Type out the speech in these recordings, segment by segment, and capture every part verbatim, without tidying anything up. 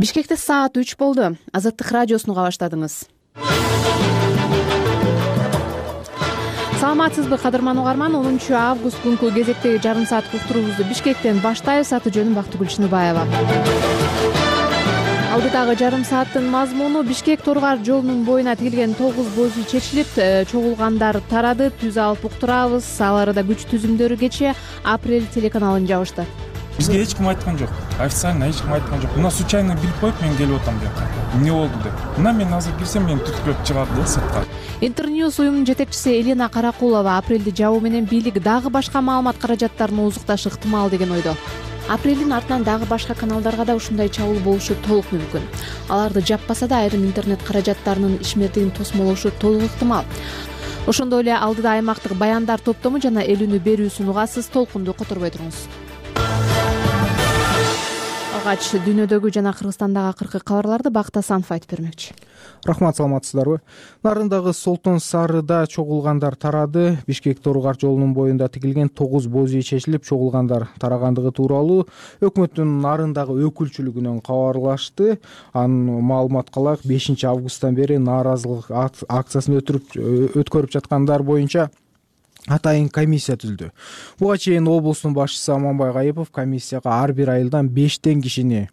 Бишкекте саат үч болду. Азаттык радиосуну уга баштадыңыз. Саламатсызбы, кадырман угарман? онунчу август күнкү кезектеги жарым сааттык уктуруубузду Бишкектен баштайбыз. Аты жөнүм Бактыгүл Чыныбаева. Алдыдагы жарым сааттын мазмуну: Бишкек Торгар жолунун боюна тигилген тогуз боз үй чечилип, чогулгандар тарады. Түз алып уктурабыз. Ал арада күч түзүмдөрү кечээ Апрель телеканалын жабышты. Бизге эч ким айткан жок. Официально эч ким айткан жок. Мына случайно билип коюп мен келип атам бияка. Эмне болду деп. Мына мен азыр кирсем мени түткүлөп чыгат да сыртка. Интерньюз уюмунун жетекчиси Елена Каракулова Апрелди жабуу менен бийлик дагы башка маалымат каражаттарын озукташы ыктымал деген ойдо. Апрелдин артынан дагы башка каналдарга да ушундай чабуул болушу толук мүмкүн. Аларды жаппаса да айрым интернет каражаттарынын ишмердигин тосмолошу толук ыктымал. Ошондой эле алдыда аймактык баяндар топтому жана эл үнү берүүсүн угасыз. Толкунду которбой туруңуз. Алгач дүйнөдөгү жана Кыргызстандагы акыркы кабарларды Бакыт Асанов айтып бермекчи. Рахмат, саламатсыздарбы? Нарындагы Солтон Сарыда чогулгандар тарады. Бишкек Торгар жолунун боюнда тигилген тогуз боз үй чечилип, чогулгандар тарагандыгы тууралуу өкмөттүн нарындагы өкүлчүлүгүнөн кабарлашты. Анын маалымат кылайык, бешинчи августтан бери нааразылык акциясын өтүрүп өткөрүп жаткандар боюнча атайын комиссия түздү. Буга чейин облустун башчысы Аманбай Гайыпов комиссияга ар бир айылдан бештен кишини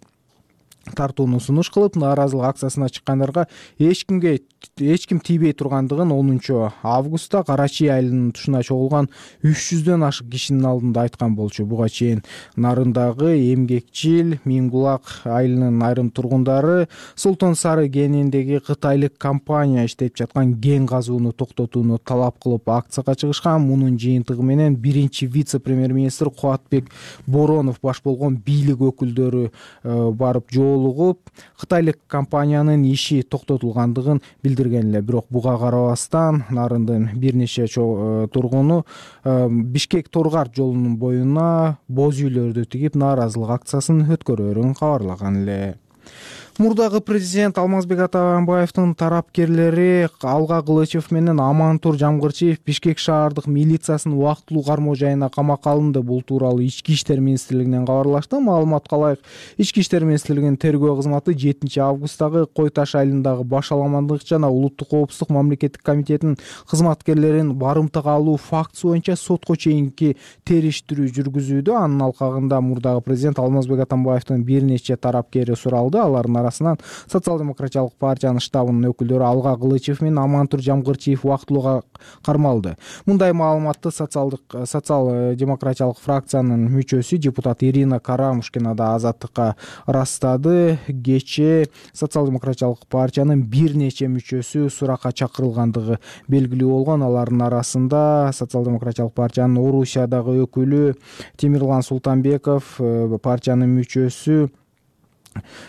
тартууну сунуш кылып, нааразылык акциясына чыккандарга эч кимге эч ким тийбей тургандыгын онунчу августта Кара Чий айылынын тушуна чогулган үч жүздөн ашык кишинин алдында айткан болчу. Буга чейин нарындагы Эмгекчил, Миңбулак айылынын айрым тургундары Солтон Сары кениндеги кытайлык компания иштеп жаткан кен казууну токтотууну талап кылып акцияга чыгышкан. Мунун жыйынтыгы менен биринчи вице-премьер-министр Кубатбек Боронов баш болгон бийлик өкүлдөрү барып жолугуп, кытайлык компаниянын иши токтотулгандыгын билдирген эле. Бирок буга карабастан нарындын бир нече тургуну Бишкек Торгар жолунун боюна боз үйлөрдү тигип нааразылык акциясын өткөрөөрүн кабарлаган эле. Мурдагы президент Алмазбек Атамбаевдин тарапкерлери Алга Кылычев менен Амантур Жамгырчиев Бишкек шаардык милициясынын убактылуу кармоо жайына камакка алынды. Бул тууралуу Ички иштер министрлигинен кабарлашты. Маалымат калайык, Ички иштер министрлигинин тергөө кызматы жетинчи августтагы Кой Таш айылындагы баш аламандык жана улуттук коопсуздук мамлекеттик комитетинин кызматкерлерин барымтага алуу фактысы боюнча сотко чейинки териштирүү жүргүзүүдө. Анын алкагында мурдагы президент Алмазбек Атамбаевдин бир нече тарапкери суралды. Алардын арасынан Социал-демократиялык партиянын штабынын өкүлдөрү Алга Кылычев менен Амантур Жамгырчиев убактылуу кармалды. Мындай маалыматты социал-демократиялык фракциянын мүчөсү депутат Ирина Карамушкина да Азаттыкка ырастады. Кечээ Социал-демократиялык партиянын бир нече мүчөсү суракка чакырылгандыгы белгилүү болгон. Алардын арасында Социал-демократиялык партиянын Орусиядагы өкүлү Темирлан Султанбеков, партиянын мүчөсү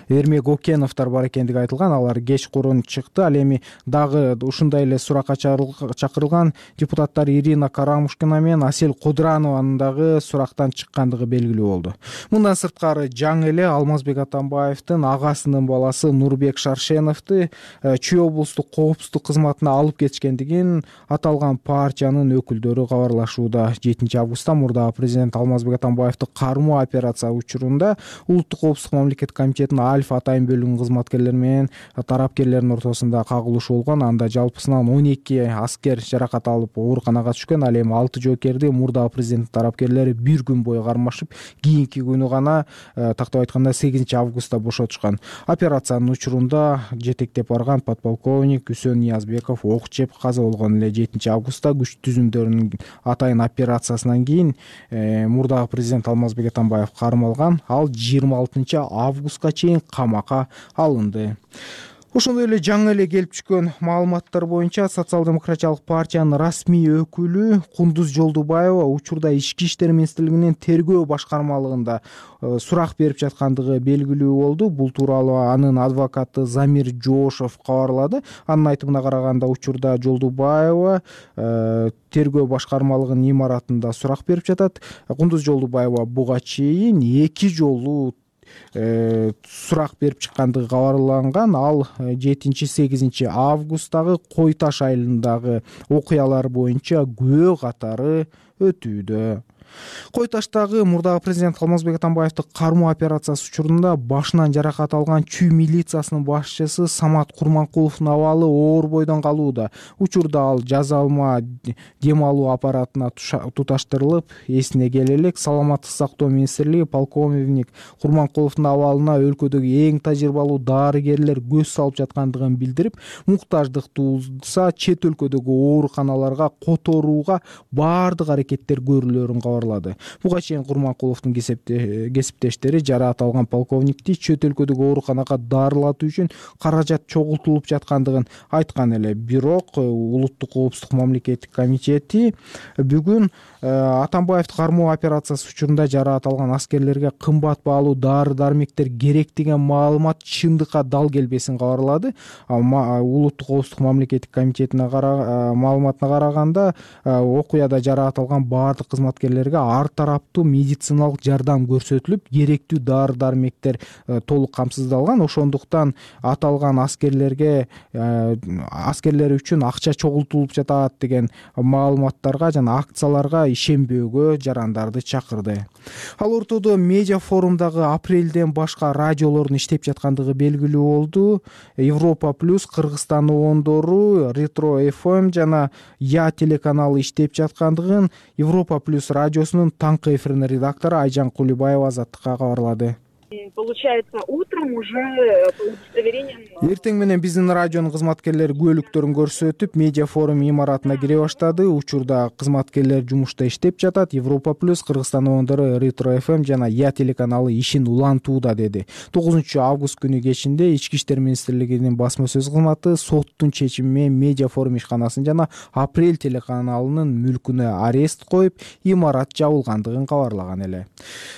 Эрмек Океновдор бар экендиги айтылган. Алар кеч курун чыкты. Ал эми дагы ушундай эле суракка чакырылган депутаттар Ирина Карамушкина менен Асель Кудранованын дагы сурактан чыккандыгы белгилүү болду. Мындан сырткары жаңы эле Алмазбек Атамбаевдин агасынын баласы Нурбек Шаршеновду Чүй облустук коопсуздук кызматына алып кетишкендигин аталган партиянын өкүлдөрү кабарлашууда. жетинчи августта мурдагы президент Алмазбек Атамбаевди кармоо операция учурунда улуттук коопсуздук мамлекеттик комитетинин Альфа атайын бөлүгүнүн кызматкерлери менен тарапкерлердин ортосунда кагылышуу болгон. Анда жалпысынан он эки аскер жаракат алып ооруканага түшкөн. Ал эми алты жоокерди мурдагы президенттин тарапкерлери бир күн бою кармашып, кийинки күнү гана, тактап айтканда сегизинчи августта бошотушкан. Операциянын учурунда жетектеп барган подполковник Үсөн Ниязбеков ок жеп каза болгон эле. жетинчи августта күч түзүмдөрүнүн атайын операциясынан кийин мурдагы президент Алмазбек Атамбаев кармалган. Ал жыйырма алтынчы августка чейин камакка алынды. Ошондой эле жаңы эле келип түшкөн маалыматтар боюнча Социал-демократиялык партиянын расмий өкүлү Кундуз Жолдубаева учурда Ички иштер министрлигинин тергөө башкармалыгында сурак берип жаткандыгы белгилүү болду. Бул тууралуу анын адвокаты Замир Жоошов кабарлады. Анын айтымына караганда, учурда Жолдубаева тергөө башкармалыгынын имаратында сурак берип жатат. Кундуз Жолдубаева буга чейин эки жолу сурак берип чыккандыгы кабарланган. Ал жетинчи сегизинчи августтагы Кой Таш айылындагы окуялар боюнча күбө катары өтүүдө. Кой Таштагы мурдагы президент Алмазбек Атамбаевди кармоо операциясы учурунда башынан жаракат алган Чүй милициясынын башчысы Самат Курманкуловдун абалы оор бойдон калууда. Учурда ал жазалма дем алуу аппаратына туташтырылып, эсине келе элек Саламаттык сактоо министрлиги полковник Курманкуловдун абалына өлкөдөгү эң тажрыйбалуу дарыгерлер көз салып жаткандыгын билдирип, муктаждык туулса чет өлкөдөгү ооруканаларга которууга баардык аракеттер көрүлөөрүн кабарлады. Буга чейин Курманкуловдун кесиптештери жараат алган полковникти чет өлкөдөгү ооруканага дарылатуу үчүн каражат чогултулуп жаткандыгын айткан эле. Бирок Улуттук коопсуздук мамлекеттик комитети бүгүн Атамбаевди кармоо операциясы учурунда жараат алган аскерлерге кымбат баалуу дары-дармектер керек деген маалымат чындыкка дал келбесин кабарлады. Улуттук коопсуздук мамлекеттик комитетине маалыматына караганда, окуяда жараат алган баардык кызматкерлерге ар тараптуу медициналык жардам көрсөтүлүп, керектүү дары-дармектер толук камсыздалган. Ошондуктан аталган аскерлерге аскерлер үчүн акча чогултулуп жатат деген маалыматтарга жана акцияларга ишенбөөгө жарандарды чакырды. Ал ортодо медиа форумдагы апрелден башка радиолордун иштеп жаткандыгы белгилүү болду. Европа плюс, Кыргызстан оондору, Ретро эф эм жана Я телеканалы иштеп жаткандыгын Европа плюс радиосунун таңкы эфиринин редактору Айжан Кулибаева Азаттыкка кабарлады. Получается, утром уже по удостоверениям... Эртең менен биздин радионун кызматкерлери көлүктөрүн көрсөтүп, медиа форум имаратына кире баштады. Учурда кызматкерлер жумушта иштеп жатат. Европа плюс, Кыргызстан оондору, Ретро эф эм жана Я телеканалы ишин улантууда, деди. тогузунчу август күнү кечинде Ички иштер министрлигинин басма сөз кызматы соттун чечими менен медиа форум ишканасын жана Апрель телеканалынын мүлкүнө арест коюп, имарат жабылгандыгын кабарлаган эле.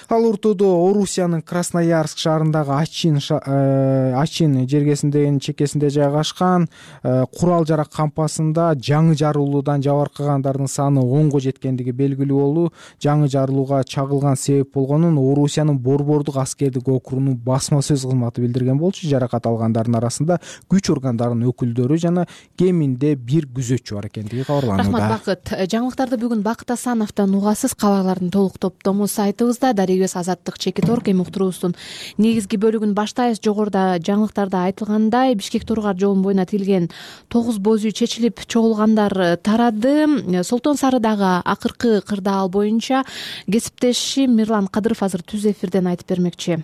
Ал ортодо Орусиянын Красноярск шаарындагы Ачин Ачин жергесиндегинин чекесинде жайгашкан курал жарак кампасында жаңы жарылуудан жабыркагандардын саны онго жеткендиги белгилүү болду. Жаңы жарылууга чагылган себеп болгонун Орусиянын Борбордук аскердик округунун басма сөз кызматы билдирген болчу. Жаракат алгандардын арасында күч органдарынын өкүлдөрү жана кеминде бир күзөтчү бар экендиги кабарланууда. Рахмат, Бакыт. Жаңылыктарды бүгүн Бакыт Асановдон угасыз. Кабарлардын толук топтому сайтыбызда. Дарыгыбыз Азаттык Чекиторг эми уктуруубуздун негизги бөлүгүн баштайбыз. Жогоруда жаңылыктарда айтылгандай, Бишкек Тургар жолунун боюна тилген тогуз боз үй чечилип чогулгандар тарады. Солтон Сарыдагы акыркы кырдаал боюнча кесиптешим Мирлан Кадыров азыр түз эфирден айтып бермекчи.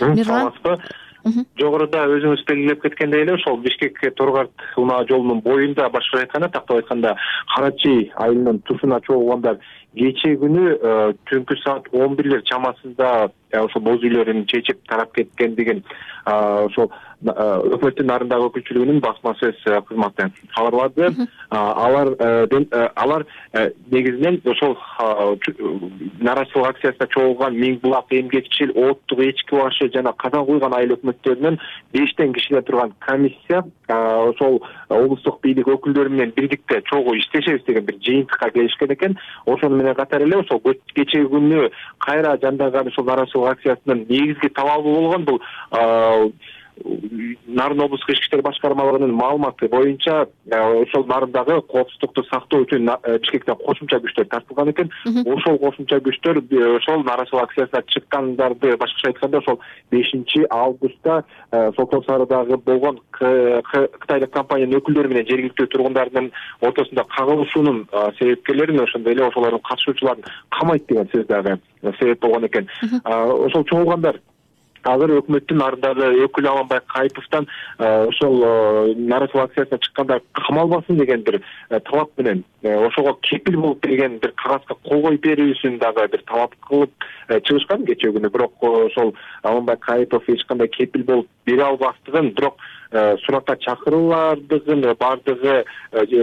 Мирлан, жогоруда өзүңүз белгилеп кеткендей эле, ошол Бишкек Тургар унаа жолунун боюнда, башкача айтканда, тактап айтканда, Карачы айылынын тушуна чогулгандар кечээ күнү түнкү саат он бирлер чамасында ошол боз үйлөрүн чечип тарап кеткендигин ошол өкмөттүн нарындагы өкүлчүлүгүнүн басма сөз кызматы кабарлады. Алар алар негизинен ошол нааразычылык акциясына чогулган Миң Булак, Эмгекчил, Оттук, Эчки башы жана Казан куйган айыл өкмөттөрүнөн бештен кишиден турган комиссия ошол облустук бийлик өкүлдөрү менен бирдикте чогуу иштешебиз деген бир жыйынтыкка келишкен экен. Ошону менен катар эле ошол кечээ күнү кайра жанданган ошол нааразычылык акциясынын негизги талабы болгон бул Нарын облустук ички иштер башкармалыгынын маалыматы боюнча ошол нарындагы коопсуздукту сактоо үчүн Бишкектен кошумча күчтөр тартылган экен. Ошол кошумча күчтөр ошол нааразычылык акциясына чыккандарды, башкача айтканда, ошол бешинчи августта Солтон Сарыдагы болгон Кытайлык компаниянын өкүлдөрү менен жергиликтүү тургундардын ортосунда кагылышуунун себепкерлерин, ошондой эле ошолордун катышуучуларын камайт деген сөз дагы себеп болгон экен. Ошол чогулгандар азыр өкмөттүн нарындагы өкүлү Аланбай Кайыповдон ошол нааразычылык акциясына чыккандар камалбасын деген бир талап менен, ошого кепил болуп берген бир кагазга кол коюп берүүсүн дагы бир талап кылып чыгышкан кечээ күнү. Бирок ошол Аланбай Кайыпов эч кандай кепил болуп бере албастыгын, бирок суракка чакыруулардын баардыгы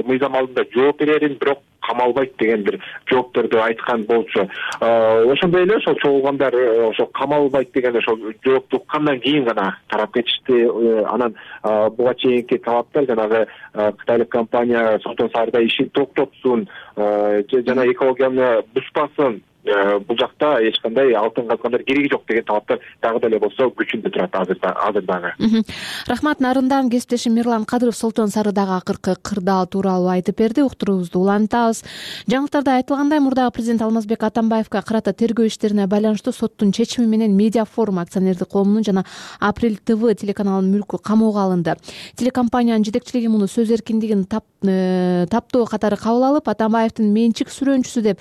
мыйзам алдында жооп берерин, бирок камалбайт деген бир жоопторду айткан болчу. Ошондой эле ошол чогулгандар ошол камалбайт деген ошол жоопту уккандан кийин гана тарап кетишти. Анан буга чейинки талаптар жанагы Кытайлык компания Солтон Сарыда ишин токтотсун жана экологияны бузбасын бул жакта эч кандай алтын казгандар кереги жок деген талаптар дагы деле болсо күчүндө турат азырда азыр дагы. Рахмат. Нарындагы кесиптешим Мирлан Кадыров Солтон Сарыдагы акыркы кырдаал тууралуу айтып берди. Уктуруубузду улантабыз. Жаңылыктарда айтылгандай, мурдагы президент Алмазбек Атамбаевка карата тергөө иштерине байланыштуу соттун чечими менен Медиа Форум акционердик коомунун жана Апрель ТВ телеканалынын мүлкү камоого алынды. Телекомпаниянын жетекчилиги муну сөз эркиндигин таптоо катары кабыл алып, Атамбаевдин менчик сүрөөнчүсү деп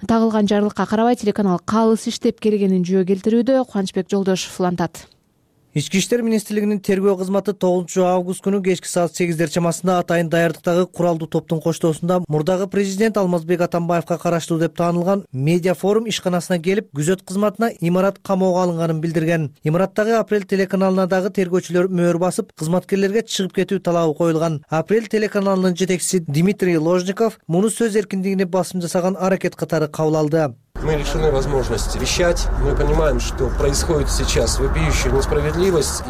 тагылган жарлыкка карабай телеканал калыс иштеп келгенин жөө келтирүүдө. Кубанычбек Жолдошев улантат. Ички иштер министрлигинин тергөө кызматы тогузунчу август күнү кечки саат сегиздер чамасында атайын даярдыктагы куралдуу топтун коштоосунда мурдагы президент Алмазбек Атамбаевка караштуу деп таанылган Медиа Форум ишканасына келип, күзөт кызматына имарат камоого алынганын билдирген. Имараттагы Апрель телеканалына дагы тергөөчүлөр мөөр басып, кызматкерлерге чыгып кетүү талабы коюлган. Апрель телеканалынын жетекчиси Дмитрий Ложников муну сөз эркиндигине басым жасаган аракет катары кабыл алды. Мы лишены возможности вещать. Мы понимаем, что происходит сейчас вопиющая несправедливость.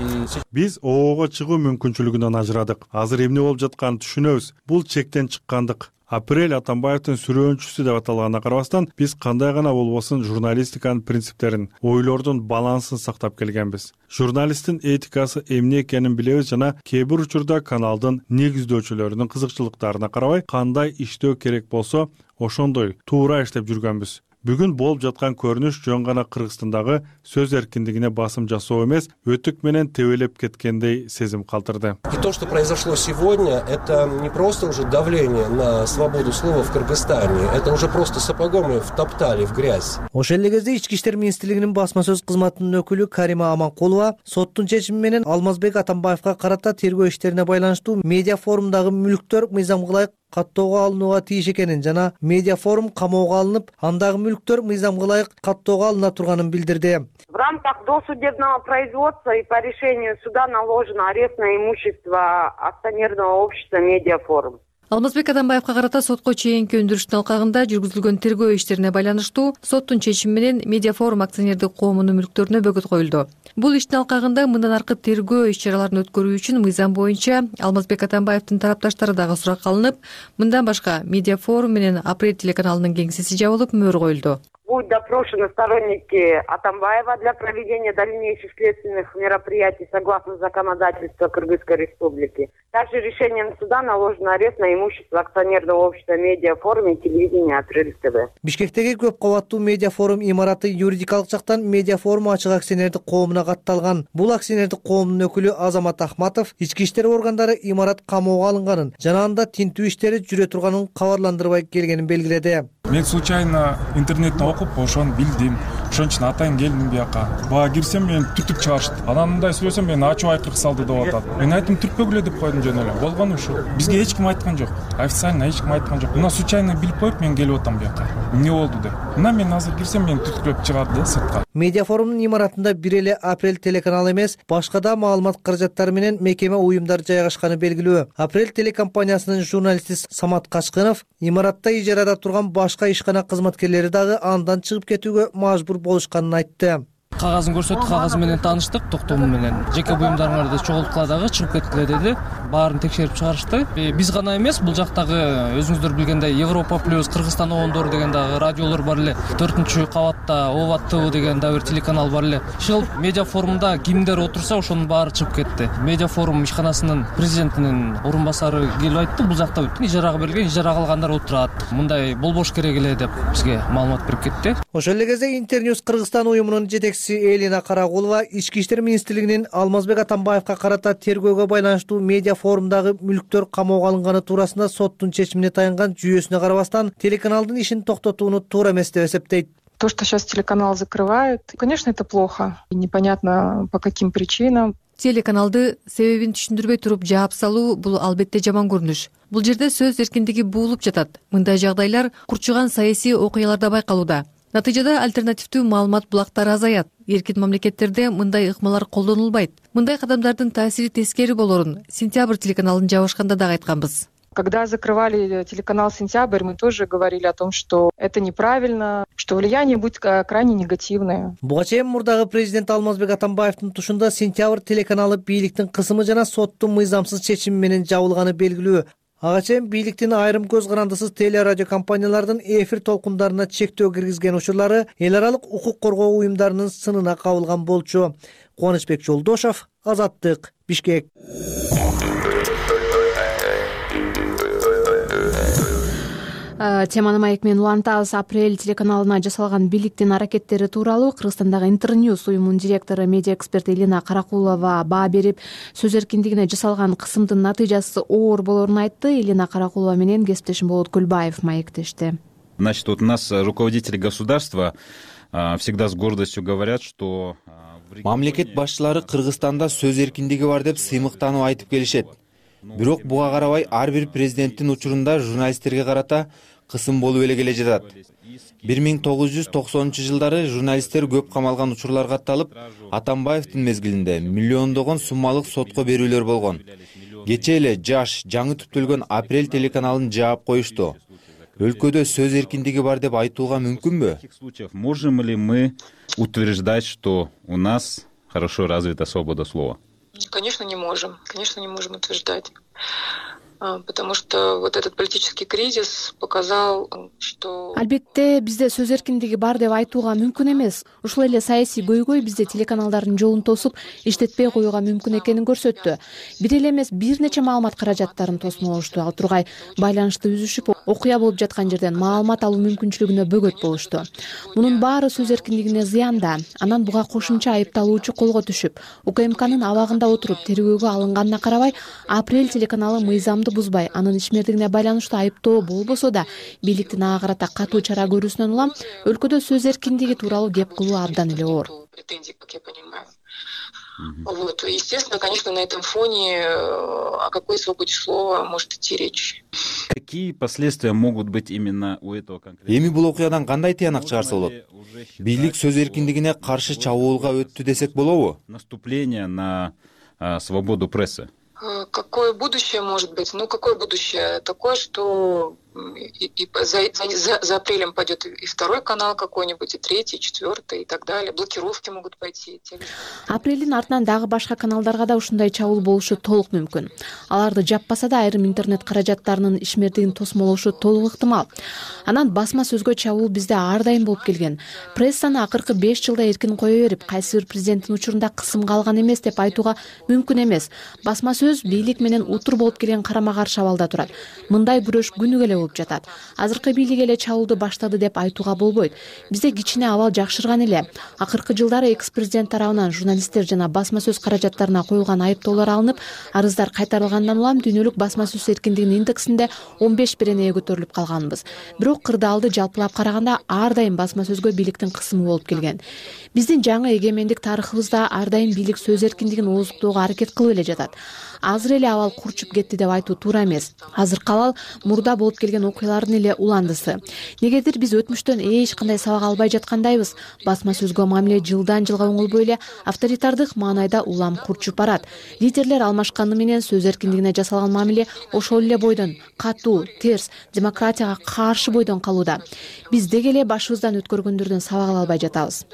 Биз оого чыгуу мүмкүнчүлүгүнөн ажырадык. Азыр эмне болуп жатканын түшүнөбүз. Бул чектен чыккандык. Апрель Атамбаевдин сүрөөнчүсү деп аталганына карабастан, биз кандай гана болбосун журналистиканын принциптерин, ойлордун балансын сактап келгенбиз. Журналисттин этикасы эмне экенин билебиз жана кээ бир учурда каналдын негиздөөчүлөрүнүн кызыкчылыктарына карабай кандай иштөө керек болсо, ошондой туура иштеп жүргөнбүз. Бүгүн болуп жаткан көрүнүш жөн гана Кыргызстандагы сөз эркиндигине басым жасоо эмес, өтүк менен тебелеп кеткендей сезим калтырды. И то, что произошло сегодня, это не просто уже давление на свободу слова в Кыргызстане, это уже просто сапогом втоптали в грязь. Ошол эле кезде Ички иштер министрлигинин басма сөз кызматынын өкүлү Карима Аманкулова соттун чечими менен Алмазбек Атамбаевка карата тергөө иштерине байланыштуу Медиа Форумдагы мүлктөр мыйзамга ылайык каттоого алынууга тийиш экенин жана Медиа Форум камоого алынып, андагы мүлктөр мыйзамга ылайык каттоого алына турганын билдирди. В рамках досудебного производства и по решению суда наложено арест на имущество акционерного общества Медиа Форум. Алмазбек Атамбаевка карата сотко чейинки өндүрүштүн алкагында жүргүзүлгөн тергөө иштерине байланыштуу соттун чечими менен Медиа Форум акционердик коомунун мүлктөрүнө бөгөт коюлду. Бул иштин алкагында мындан аркы тергөө иш-чараларын өткөрүү үчүн мыйзам боюнча Алмазбек Атамбаевдин тарапташтары дагы суракка алынып, мындан башка Медиа Форум менен Апрель телеканалынын кеңсеси жабылып, мөөр коюлду. Будут допрошены сторонники Атамбаева для проведения дальнейших следственных мероприятий согласно законодательству Кыргызской Республики. Также решением суда наложен арест на имущество акционерного общества Медиа Форум и телевидения Апрель ТВ. Бишкектеги көп кабаттуу Медиа Форум имараты юридикалык жактан Медиа Форум ачык акционердик коомуна катталган. Бул акционердик коомдун өкүлү Азамат Ахматов ички иштер органдары имарат камоого алынганын жана анда тинтүү иштери жүрө турганын кабарландырбай келгенин белгиледи. Мен случайно интернеттен окуп ошону билдим. Ошон үчүн атайын келдим бияка. Бага кирсем мени түтүп чыгарышты. Анан мындай сүйлөсөм мени ачуу айкырык салды деп атат. Мен айттым түртпөгүлө деп койдум жөн эле. Болгону ушул. Бизге эч ким айткан жок. Официально эч ким айткан жок. Мына случайно билип коюп мен келип атам бияка. Эмне болду деп. Мына мен азыр кирсем мени түтүклөп чыгарды сыртка. Медиа Форумдун имаратында бир эле Апрель телеканалы эмес, башка да маалымат каражаттары менен мекеме уюмдар жайгашканы белгилүү. Апрель телекомпаниясынын журналисти Самат Качкынов имаратта ижарада турган башка ишкана кызматкерлери дагы андан чыгып кетүүгө мажбур болушканын айтты. Кагазын көрсөттү, кагазы менен тааныштык, токтому менен. Жеке буюмдарыңарды чогулткула дагы чыгып кеткиле деди. Баарын текшерип чыгарышты. Биз гана эмес, бул жактагы өзүңүздөр билгендей Европа плюс, Кыргызстан оондору деген дагы радиолор бар эле. төртүнчү кабатта Оват ТВ деген дагы бир телеканал бар эле. Ушул Медиа Форумда кимдер отурса, ошонун баары чыгып кетти. Медиа Форум ишканасынын президентинин орун басары келип айтты, бул жакта ижарага берилген, ижарага алгандар отурат. Мындай болбош керек эле деп бизге маалымат берип кетти. Ошол эле кезде Интерньюз Кыргызстан уюмунун жетекчиси Элина Карагулова Ички иштер министрлигинин Алмазбек Атамбаевка карата тергөөгө байланыштуу Медиа Форумдагы мүлктөр камоого алынганы туурасында соттун чечимине таянган жүйөсүнө карабастан телеканалдын ишин токтотууну туура эмес деп эсептейт. То, что сейчас телеканал закрывают, конечно, это плохо. Непонятно по каким причинам. Телеканалды себебин түшүндүрбөй туруп жаап салуу бул албетте жаман көрүнүш. Бул жерде сөз эркиндиги буулуп жатат. Мындай жагдайлар курчуган саясий окуяларда байкалууда. Натыйжада альтернативдүү маалымат булактары азаят. Эркин мамлекеттерде мындай ыкмалар колдонулбайт. Мындай кадамдардын таасири тескери болорун Сентябрь телеканалын жабышканда дагы айтканбыз. Когда закрывали телеканал «Сентябрь», мы тоже говорили о том, что это неправильно, что влияние будет крайне негативное. Буга чейин мурдагы президент Алмазбек Атамбаевдин тушунда «Сентябрь» телеканалы бийликтин кысымы жана соттун мыйзамсыз чечими менен жабылганы белгилүү. Ага чейин бийликтин айрым көз карандысыз теле радио компаниялардын эфир толкундарына чектөө киргизген учурлары эл аралык укук коргоо уюмдарынын сынына кабылган болчу. Кубанычбек Жолдошов, Азаттык, Бишкек. Теманы маек менен улантабыз. Апрель телеканалына жасалган бийликтин аракеттери тууралуу Кыргызстандагы Интерньюз уюмунун директору, медиа эксперт Элина Каракулова баа берип, сөз эркиндигине жасалган кысымдын натыйжасы оор болоорун айтты. Элина Каракулова менен кесиптешим Болот Гүлбаев маектешти. Значит, вот у нас руководители государства всегда с гордостью говорят, что мамлекет башчылары Кыргызстанда сөз эркиндиги бар деп сыймыктанып айтып келишет. Бирок буга карабай ар бир президенттин учурунда журналисттерге карата кысым болуп эле келе жатат. бир миң тогуз жүз токсонунчу жылдары журналисттер көп камалган учурлар катталып, Атамбаевдин мезгилинде миллиондогон суммалык сотко берүүлөр болгон. Кечээ эле жаш, жаңы түптөлгөн Апрель телеканалын жаап коюшту. Өлкөдө сөз эркиндиги бар деп айтууга мүмкүнбү? Можем ли мы утверждать, что у нас хорошо развита свобода слова? Конечно, не можем. Конечно, не можем утверждать. Потому что вот этот политический кризис показал, что... Албетте, бизде сөз эркиндиги бар деп айтууга мүмкүн эмес. Ушул эле саясий көйгөй бизде телеканалдардын жолун тосуп, иштетпей коюуга мүмкүн экенин көрсөттү. Бир эле эмес, бир нече маалымат каражаттарын тосмолошту. Ал тургай байланышты үзүшүп, окуя болуп жаткан жерден маалымат алуу мүмкүнчүлүгүнө бөгөт болушту. Мунун баары сөз эркиндигине зыянда. Анан буга кошумча айыпталуучу колго түшүп, УКМКнын абагында отуруп тергөөгө алынганына карабай, Апрель телеканалы мыйзамды бузбай, анын ишмердигине байланыштуу айыптоо болбосо да, бийликтин ага карата катуу чара көрүүсүнөн улам өлкөдө сөз эркиндиги тууралуу кеп кылуу абдан эле оор. Вот, естественно, конечно, на этом фоне о какой свободе слова может идти речь. Какие последствия могут быть именно у этого конкретного? Эми бул окуядан кандай тыянак чыгарса болот? Бийлик сөз эркиндигине каршы чабуулга өттү десек болобу? Наступление на а, свободу прессы. Какое будущее может быть? Ну, какое будущее? Такое, что и, и за, за, за апрелем пойдет и второй канал какой-нибудь, и третий, и четвертый, и так далее. Блокировки могут пойти. Апрелдин артынан дагы башка каналдарга да ушундай чабуул болушу толук мүмкүн. Аларды жаппаса да айрым интернет каражаттарынын ишмердигин тосмолошу толук ыктымал. Анан басма сөзгө чабуул бизде ар дайым болуп келген. Прессаны акыркы беш жылда эркин кое берип, кайсы бир президенттин учурунда кысымга алган эмес деп айтууга мүмкүн эмес. Басма сөз бийлик менен утур болуп келген карама каршы абалда турат. Мындай күрөш күнүгө эле болуп жатат. Азыркы бийлик эле чабуулду баштады деп айтууга болбойт. Бизде кичине абал жакшырган эле. Акыркы жылдары экс-президент тарабынан журналисттер жана басма сөз каражаттарына коюлган айыптоолор алынып, арыздар кайтарылгандан улам дүйнөлүк басма сөз эркиндигинин индексинде он беш беренеге көтөрүлүп калганбыз. Бирок кырдаалды жалпылап караганда ар дайым басма сөзгө бийликтин кысымы болуп келген. Биздин жаңы эгемендик тарыхыбызда ар дайым бийлик сөз эркиндигин ооздуктоого аракет кылып эле жатат. Азыр эле абал курчуп кетти деп айтуу туура эмес. Азыркы абал мурда болуп келген окуялардын эле уландысы. Негедир биз өтмүштөн эч кандай сабак албай жаткандайбыз. Басма сөзгө мамиле жылдан жылга оңолбой эле авторитардык маанайда улам курчуп барат. Лидерлер алмашканы менен сөз эркиндигине жасалган мамиле ошол эле бойдон катуу, терс, демократияга каршы бойдон калууда. Биз деги эле башыбыздан өткөргөндөрдөн сабак ала албай жатабыз.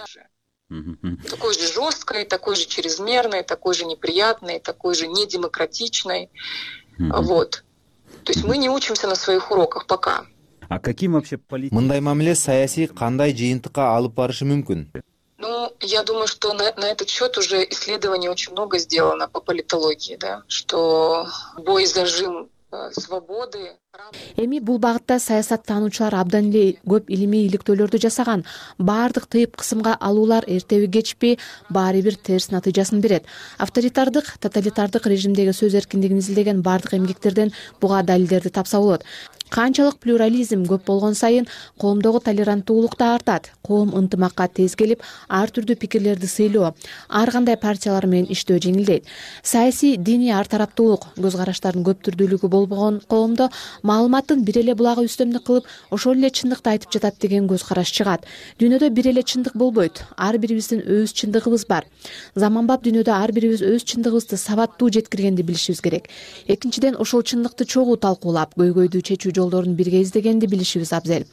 Такой же жесткой, такой же чрезмерной, такой же неприятной, такой же недемократичной. Mm-hmm. Вот. То есть мы не учимся на своих уроках пока. А каким вообще политикам? Мындай мамиле саясий кандай жыйынтыкка алып барышы мүмкүн? Ну, я думаю, что на, на этот счет уже исследований очень много сделано по политологии, да, что бой зажим свободы. Эми бул багытта саясаттануучулар абдан эле көп илимий иликтөөлөрдү жасаган. Баардык тыйып кысымга алуулар эртеби кечпи баары бир терс натыйжасын берет. Авторитардык, тоталитардык режимдеги сөз эркиндигин изилдеген баардык эмгектерден буга далилдерди тапса болот. Канчалык плюрализм көп болгон сайын коомдогу толеранттуулук да артат. Коом ынтымакка тез келип, ар түрдүү пикирлерди сыйлоо, ар кандай партиялар менен иштөө жеңилдейт. Саясий, диний ар тараптуулук, көз караштардын көп түрдүүлүгү болбогон коомдо маалыматтын бир эле булагы үстөмдүк кылып, ошол эле чындыкты айтып жатат деген көз караш чыгат. Дүйнөдө бир эле чындык болбойт. Ар бирибиздин өз чындыгыбыз бар. Заманбап дүйнөдө ар бирибиз өз чындыгыбызды сабаттуу жеткиргенди билишибиз керек. Экинчиден, ошол чындыкты чогуу талкуулап, көйгөйдү чечүү жолдорун бирге издегенди билишибиз абзел.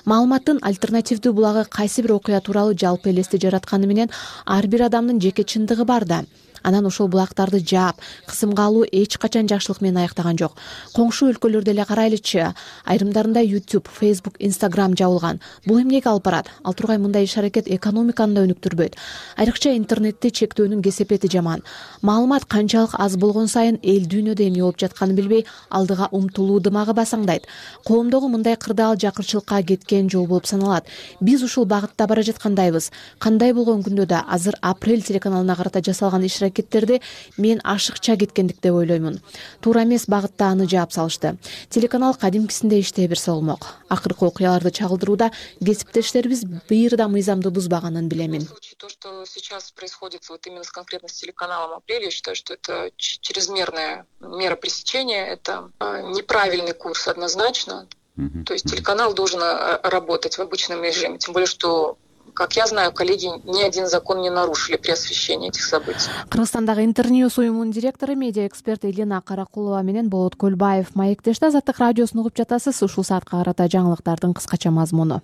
Маалыматтын альтернативдүү булагы кайсы бир окуя тууралуу жалпы элести жаратканы менен ар бир адамдын жеке чындыгы бар да. Анан ошол булактарды жаап, кысымга алуу эч качан жакшылык менен аяктаган жок. Коңшу өлкөлөрдө эле карайлычы, айрымдарында YouTube, Facebook, Instagram жабылган. Бул эмнеге алып барат? Ал тургай мындай иш-аракет экономиканы да өнүктүрбөйт. Айрыкча интернетти чектөөнүн кесепети жаман. Маалымат канчалык аз болгон сайын эл дүйнөдө эмне болуп жатканын билбей, алдыга умтулуу дымагы басаңдайт. Коомдогу мындай кырдаал жакырчылыкка кеткен жол болуп саналат. Биз ушул багытта бара жаткандайбыз. Кандай болгон күндө да азыр Апрель телеканалына карата жасалган иш-аракеттерди мен ашыкча кеткендик деп ойлоймун. Туура эмес багытта аны жаап салышты. Телеканал кадимкисинде иштей берсе болмок. Акыркы окуяларды чагылдырууда кесиптештерибиз бир да мыйзамды бузбаганын билемин. То, что сейчас происходит вот именно с конкретно с телеканалом «Апрель», я считаю, что это чрезмерная мера пресечения, это неправильный курс однозначно. Mm-hmm. То есть телеканал должен работать в обычном режиме, тем более, что, как я знаю, коллеги ни один закон не нарушили при освещении этих событий. Кыргызстандагы Интерньюз уюмунун директору, медиа эксперт Элина Каракулова менен Болот Көлбаев маектеште. Азаттык радиосун угуп жатасыз. Ушул саатка карата жаңылыктардын кыскача мазмуну.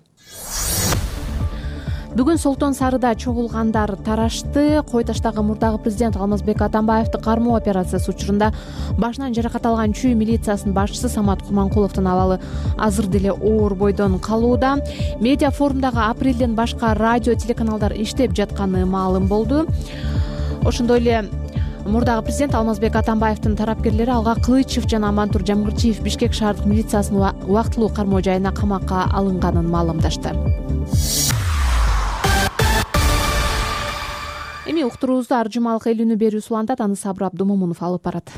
Бүгүн Солтон Сарыда чогулгандар тарашты. Кой таштагы мурдагы президент Алмазбек Атамбаевди кармоо операциясы учурунда башынан жаракат алган Чүй милициясынын башчысы Самат Курманкуловдун абалы азыр деле оор бойдон калууда. Медиа форумдагы Апрелден башка радио, телеканалдар иштеп жатканы маалым болду. Ошондой эле мурдагы президент Алмазбек Атамбаевдин тарапкерлери Алга Кылычев жана Амантур Жамгырчиев Бишкек шаардык милициясынын убактылуу кармоо жайына камакка алынганын маалымдашты. Эми уктуруубузду ар жумалык эл үнү берүү улантат, аны Сабыр Абдумомунов алып барат.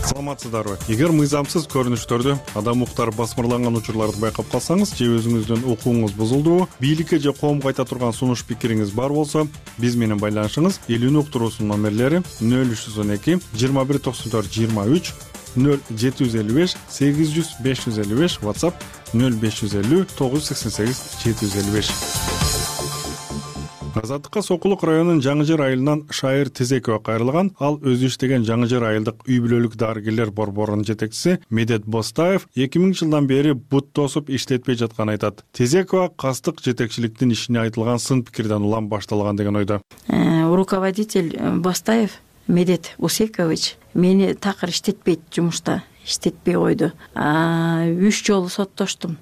Саламатсыздарбы? Эгер мыйзамсыз көрүнүштөрдү, адам укуктары басмырланган учурларды байкап калсаңыз же өзүңүздүн укугуңуз бузулдубу, бийликке же коомго айта турган сунуш пикириңиз бар болсо, биз менен байланышыңыз. Эл үнү уктуруусунун номерлери нөл үч жүз он эки жыйырма бир токсон төрт жыйырма үч, нөл жети жүз элүү беш сегиз жүз беш жүз элүү беш, WhatsApp нөл беш жүз элүү тогуз жүз сексен сегиз жети жүз элүү беш. Азаттыкка Сокулук районунун Жаңыжер айылынан Шайыр Тезекова кайрылган. Ал өзү иштеген Жаңыжер айылдык үй бүлөлүк дарыгерлер борборунун жетекчиси Медет Бостаев эки миңинчи жылдан бери бут тосуп иштетпей жатканын айтат. Тезекова кастык жетекчиликтин ишине айтылган сын пикирден улам башталган деген ойдо. Руководитель Бостаев Медет Усекович мени такыр иштетпейт, жумушта иштетпей койду. Үч жолу соттоштум.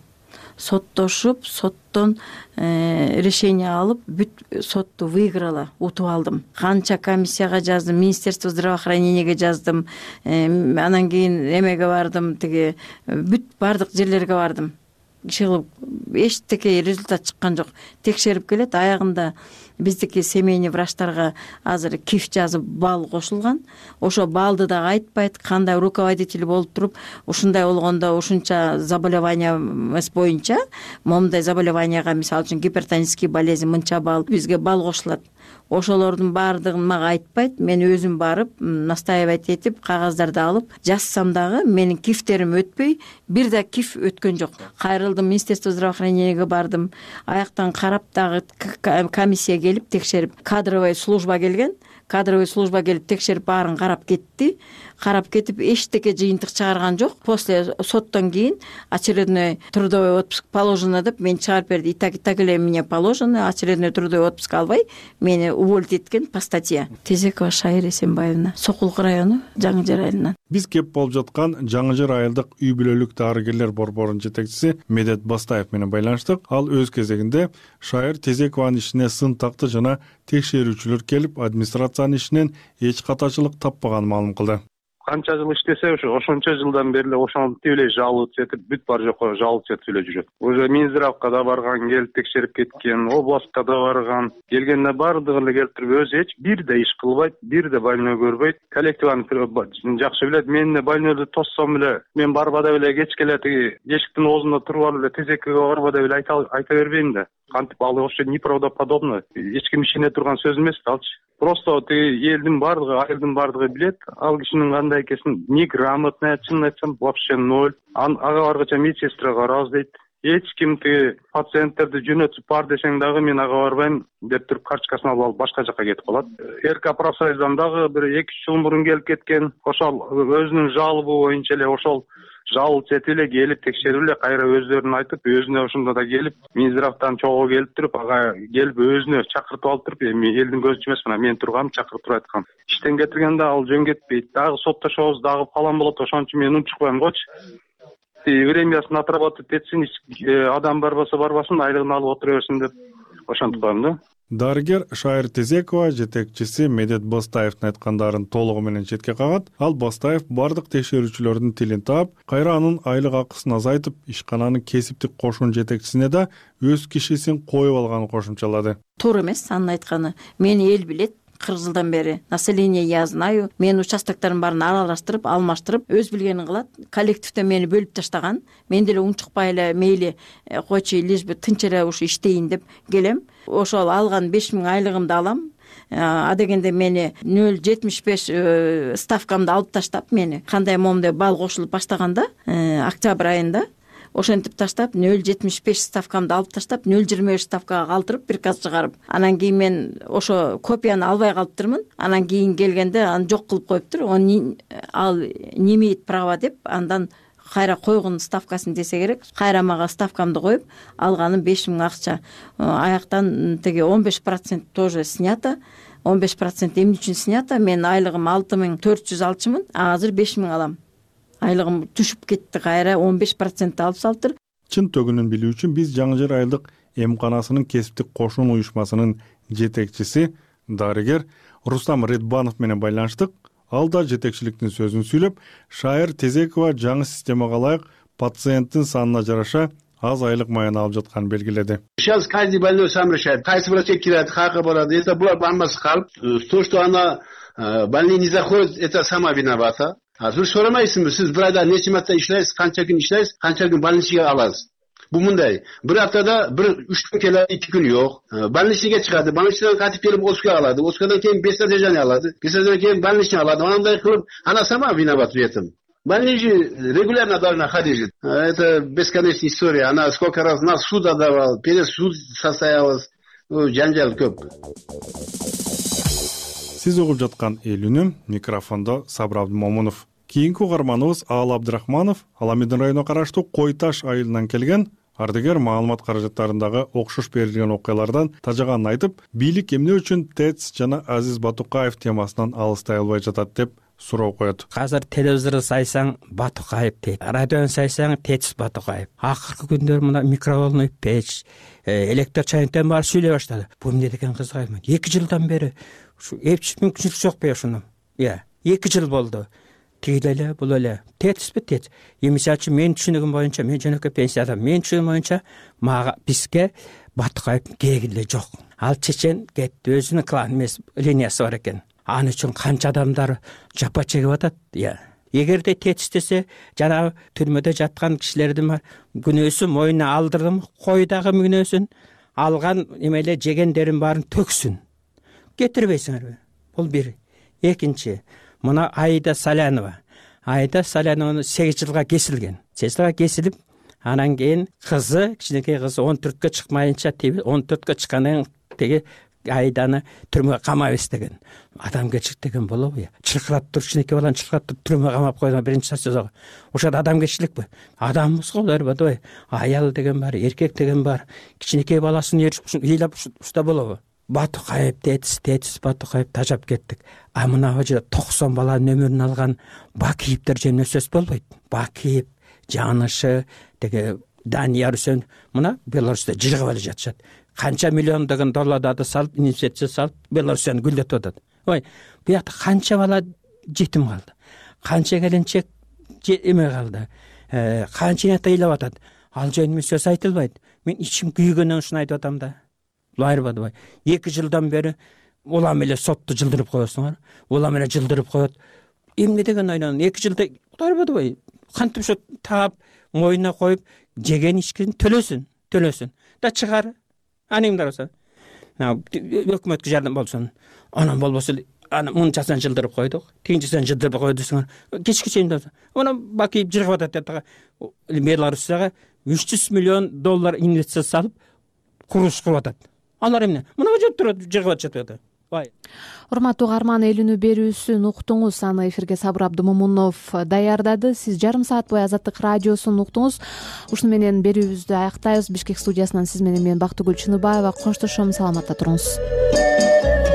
Соттошуп, соттон решение алып, бүт сотту выиграла, утуп алдым. Канча комиссияга жаздым, Министерство здравоохранениеге жаздым, анан кийин эмеге бардым, тиги бүт бардык жерлерге бардым. Чыгып эчтеке результат чыккан жок. Текшерип келет, аягында биздики семейный врачтарга азыр киф жазып бал кошулган. Ошо балды да айтпайт, кандай руководитель болуп туруп, ушундай болгондо ушунча заболевание боюнча, момундай заболеванияга, мисалы үчүн гипертонический болезнь мынча бал, бизге бал кошулат. Ошолордун баардыгын мага айтпайт, мен өзүм барып, настаивать этип, кагаздарды алып, жазсам дагы менин кифтерим өтпөй, бир да киф өткөн жок. Кайрылдым, Министерство здравоохранениеге бардым, аяктан карап дагы комиссия келип текшерип, кадровый служба келген, кадровый служба келип текшерип баарын карап кетти. Карап кетип эчтеке жыйынтык чыгарган жок. После соттон кийин очередной трудовой отпуск положено деп мени чыгарып берди. И так и так эле мне положено, очередной трудовой отпуск албай мени уволить эткен по статье. Тезекова Шайыр Эсенбаевна, Сокулук району, Жаңыжер айылынан. Биз кеп болуп жаткан Жаңыжер айылдык үй бүлөлүк дарыгерлер борборунун жетекчиси Медет Бастаев менен байланыштык. Ал өз кезегинде Шайыр Тезекованын ишине сын такты жана текшерүүчүлөр келип, администрациянын ишинен эч катачылык таппаганын маалым кылды. Канча жыл иштесе, ошо ошончо жылдан бери эле ошентип эле жалып жетип, бүт бар жокко жалып жетип эле жүрөт. Уже Минздравга да барган, келип текшерип кеткен, областка да барган. Келгенде бардыгын эле келтирип, өзү эч бир да иш кылбайт, бир да больной көрбөйт. Коллективаны жакшы билет. Мен больнойду тоссом эле, мен барбада эле кечке эле тиги эшиктин оозунда туруп алып эле тезекке барбада эле айта айта бербейм да. Кантип ал вообще неправдоподобно. Эч ким ишене турган сөз эмес да алчы. Просто тиги элдин бардыгы, айылдын бардыгы билет, ал кишинин кандай экенин неграмотный, чынын айтсам, вообще ноль. Ага баргача медсестра карабыз дейт. Эч ким тиги пациенттерди жөнөтүп бар десең дагы мен ага барбайм деп туруп карточкасын алып алып башка жакка кетип калат. РК профсоюздан дагы бир эки үч жыл мурун келип кеткен. Ошол өзүнүн жалобу боюнча эле ошол жалыл чети эле келип текшерип эле кайра өздөрүн айтып, өзүнө ошондо да келип, Минздравдан чогуу келип туруп, ага келип өзүнө чакыртып алып туруп, эми элдин көзүнчө эмес, мына мен тургам, чакырып туруп айткан. Иштен кетиргенде ал жөн кетпейт. Дагы соттошобуз, дагы фалан болот, ошон үчүн мен унчукпайм гочу. Времясын отработать этсин, адам барбаса барбасын, айлыгын алып отура берсин деп ошентип коем да. Дарыгер Шайыр Тезекова жетекчиси Медет Бастаевдин айткандарын толугу менен четке кагат. Ал Бастаев бардык текшерүүчүлөрдүн тилин таап, кайра анын айлык акысын азайтып, ишкананын кесиптик кошун жетекчисине да өз кишисин коюп алганын кошумчалады. Туура эмес анын айтканы. Мени эл билет. кырк жылдан бери население я знаю. Мен участоктордун баарын аралаштырып, алмаштырып, өз билгенин кылат. Коллективде мени бөлүп таштаган. Мен деле унчукпай эле мейли койчу, лишь бы тынч эле ушу иштейин деп келем. Ошол алган беш миң айлыгымды алам. А дегенде мени нөл жетимиш беш ставкамды алып таштап, мени кандай момундай бал кошулуп баштаганда, октябрь айында ошентип таштап, нөл жетимиш беш ставкамды алып таштап, нөл жыйырма беш ставкага калтырып, приказ чыгарып, анан кийин мен ошо копияны албай калыптырмын. Анан кийин келгенде аны жок кылып коюптур. Ал не имеет права деп, андан кайра койгон ставкасын десе керек. Кайра мага ставкамды коюп, алганым беш миң акча. Аяктан теги он беш процент тоже снято. он беш процент эмне үчүн снято? Мен айлыгым алты миң төрт жүз алчумун, а азыр беш миң алам. Айлыгым түшүп кетти, кайра он беш процент алып салыптыр. Чын төгүнүн билүү үчүн биз Жаңы Жер айылдык эмканасынын кесиптик кошун уюшмасынын жетекчиси дарыгер Рустам Редбанов менен байланыштык. Ал да жетекчиликтин сөзүн сүйлөп, Шайыр Тезекова жаңы системага ылайык пациенттин санына жараша аз айлык майын алып жатканын белгиледи. Сейчас каждый больной сам решает, кайсы врачка кирет, каяка барат. Это булар бармасы калып, то, что она больной не заходит, это сама виновата. А сиз соромайсызбы, сиз бир айда нече марта иштейсиз, канча күн иштейсиз, канча күн больницага аласыз. Бу мындай, бир аптада бир үч күн келет, эки күн жок. Больницага чыгады, больницадан кайтып келип Оскага алады, Оскадан кийин без содержания алады, без содержания кийин больницага алады. Андай кылып, она сама виновата в этом. Больница регулярно должна ходить. Это бесконечная история. Она сколько раз нас суд отдавала, перед суд состоялась. Жанжал көп. Сиз угуп жаткан эл үнүм, микрофондо Сабыр Абдымомунов. Кийинки угарманыбыз Аал Абдрахманов, Аламедин районуна караштуу Кой Таш айылынан келген. Ардыгер маалымат каражаттарындагы окшош берилген окуялардан тажаганын айтып, бийлик эмне үчүн ТЭЦ жана Азиз Батукаев темасынан алыстай албай жатат деп суроо коет. Азыр телевизорду сайсаң Батукаев дейт, радиону сайсаң ТЭЦ Батукаев. Акыркы күндөр мына микроволновый печ, электр чайниктен баары сүйлөй баштады. Бул эмне деген кызыгайм. эки жылдан бери ушу эч мүмкүнчүлүк жок ушуну. Иә, эки жыл болду. Тигил эле, бул эле. ТЭЦпи ТЭЦ. Мисалы мен түшүнүгүм боюнча, мен жөнөкөй пенсияда, мен түшүнүгүм боюнча мага бизге Батукаев кереги эле жок. Ал чечен кетти, өзүнүн клан эмес линиясы бар экен. Аны үчүн канча адамдар жапа чегип атат. Иә. Эгерде ТЭЦ десе, жанагы түрмөдө жаткан кишилердин күнөөсү моюнуна алдырдым, койдагы күнөөсүн алган эмеле жегендерин баарын төксүн. Кетирбейсиңерби? Бул бир. Экинчи, мына Айда Салянова. Айда Салянова сегиз жылга кесилген. сегиз жылга кесилип, анан кийин кызы, кичинекей кызы он төрткө чыкмайынча, он төрткө чыккандан теги Айданы түрмөгө камайбыз деген. Адамгерчилик деген болобу? Чылкырап туруп, кичинекей баланы чылкырап туруп түрмөгө камап койгон биринчи жаза. Ошол адамгерчиликпи? Адамбыз го, элбетте. Аял деген бар, эркек деген бар. Кичинекей баласын ыйлап уста болобу? Батукаев ТЭЦ, ТЭЦ Батукаев тажап кеттик. А мына жерде токсон баланын өмүрүн алган Бакиевдер жөнүндө сөз болбойт. Бакиев, Жанышы, деге Данияр Үсөн мына Беларуста жыргап эле жатышат. Канча миллиондогон долларды салып, инвестиция салып, Беларусьтан гүлдөтүп атат. Ой, бу жакта канча бала жетим калды. Канча келинчек эме калды. Канча ата ыйлап атат. Ал жөнүндө сөз айтылбайт. Мен ичим күйгөндөн ушуну айтып атам да. Лайрбадыбай. эки жылдан бери улам эле сотту жылдырып коесуңар. Улам эле жылдырып коет. Эмне деген ойнон? эки жылда лайрбадыбай. Кантип ошо таап, моюнуна коюп, жеген ичкен төлөсүн, төлөсүн. Да чыгар. Анымдар болсо. Өкмөткө жардам болсун. Анан болбосо аны мынчасын жылдырып койдук. Тигинчисин жылдырып койдусуңар. Кечки чейин болсо. Аны Бакиев жыргап атат. Беларусьтага үч жүз миллион доллар инвестиция салып, курулуш кылып атат. Алар эмне? Мына жер турат, жыргап жатат. урматтуу угарман, эл үнү берүүсүн уктуңуз. Аны эфирге Сабыр Абдымомунов даярдады. Сиз жарым саат бою Азаттык радиосун уктуңуз. Ушуну менен берүүбүздү аяктайбыз. Бишкек студиясынан сиз менен мен Бактыгүл Чыныбаева коштошом. Саламатта туруңуз.